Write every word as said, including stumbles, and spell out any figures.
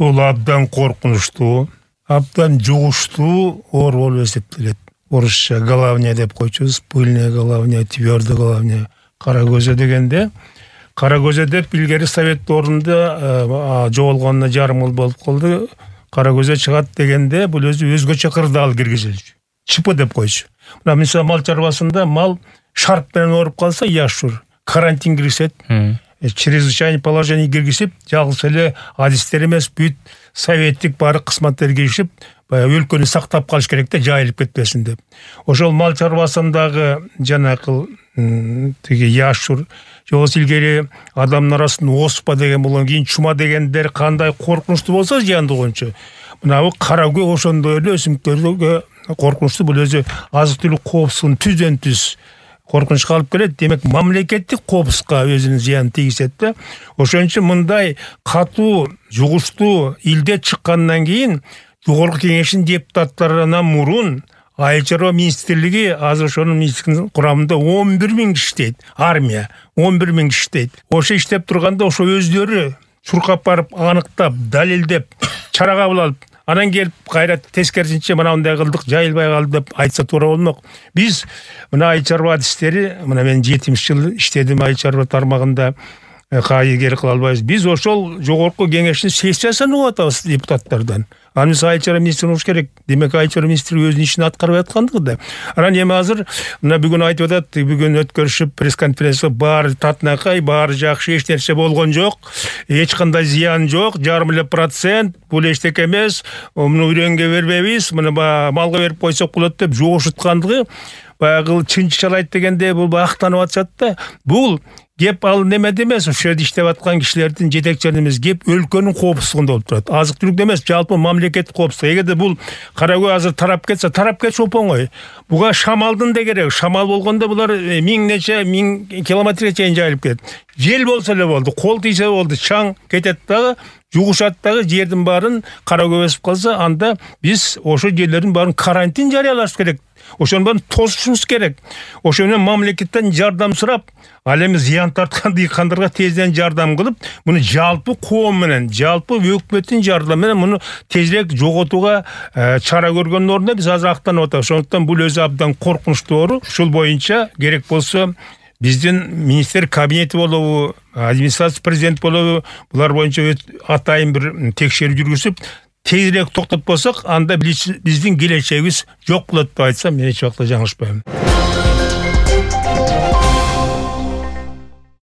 Бул абдан коркунучтуу, абдан жугуштуу оору болуп эсептелет. Орусча головня деп койчубуз, пыльная головня, твердый головня. Кара көзө дегенде, кара көзө деп илгери совет орунда жоголгонуна жарым жыл болуп калды. Кара көзө чыгат дегенде бул өзү өзгөчө кырдаал киргизилчү. ЧП деп койчу. Мына мисалы мал чарбасында мал шарп менен ооруп калса яшур, карантин киргизет. Чрезвычайный положение киргизип, жалгыз эле адистер эмес, бүт советтик баары кызматтар киришип, баягы өлкөнү сактап калыш керек да, жайылып кетпесин деп. Ошол мал чарбасындагы жанакы тиги яшур, жобосу илгери адамдын арасында оспа деген болгон, кийин чума дегендер кандай коркунучтуу болсо зыяндуу боюнча. Мына бу кара көө ошондой эле өсүмдүктөргө коркунучтуу, бул өзү азык түлүк коопсуздугун түздөн түз коркунучка алып келет. Демек, мамлекеттик коопсузга өзүнүн зыянын тийгизет да. Ошон үчүн мындай катуу, жугуштуу илдет чыккандан кийин Жогорку Кеңештин депутаттарынан мурун Айыл чарба министрлиги азыр ошонун министрлигинин курамында он бир миң киши иштейт. Армия он бир миң киши иштейт. Ошо иштеп турганда ошо өздөрү чуркап барып, аныктап, далилдеп, чара кабыл алып, анан келип кайра тескерисинче мына мындай кылдык, жайылбай калды деп айтса туура болмок. Биз мына айыл чарба адистери, мына мен жетимиш жыл иштедим айыл чарба тармагында, кайгер кыла албайбыз. Биз ошол Жогорку Кеңештин сессиясын угуп атабыз депутаттардан. Анын айыл чарба министри болуш керек. Демек, айыл чарба министри өзүнүн ишин аткарып аткандыгы да. Анан эми азыр мына бүгүн айтып атат, бүгүн өткөрүшүп пресс-конференция, баары татынакай, баары жакшы, эч нерсе болгон жок, эч кандай зыян жок, жарым эле процент, бул эчтеке эмес, муну үрөнгө бербейбиз, муну малга берип койсок болот деп жогушуткандыгы, баягы чынчалайт дегенде бул актанып атышат да. Бул кеп ал немеде эмес, ошол жерде иштеп аткан кишилердин жетекчилеринин эмес, кеп өлкөнүн коопсуздугунда болуп турат. Азык түлүк эмес, жалпы мамлекеттик коопсуздук. Эгерде бул кара көө азыр тарап кетсе, тарап кетиш оңой. Буга шамалдын да кереги. Шамал болгондо булар миң нече миң километрге чейин жайылып кетет. Жел болсо эле болду, кол тийсе болду, чаң кетет дагы, жугушат дагы, жердин баарын кара көө басып калса, анда биз ошо жерлердин баарын карантин жарыялаш керек. Ошонун баарын тосушубуз керек. Ошо менен мамлекеттен жардам сурап, ал эми зыян тарткан дыйкандарга тезден жардам кылып, муну жалпы коом менен, жалпы өкмөттүн жардамы менен муну тезирээк жоготууга чара көргөндүн ордуна биз азыр актанып атабыз. Ошондуктан бул өзү абдан коркунучтуу оору. Ушул боюнча керек болсо биздин министр кабинети болобу, администрация президент болобу, булар боюнча атайын бир текшерүү жүргүзүп, тезирээк токтотпосок, анда биздин келечегибиз жок болот деп айтсам, мен эч убакта жаңылышпайм.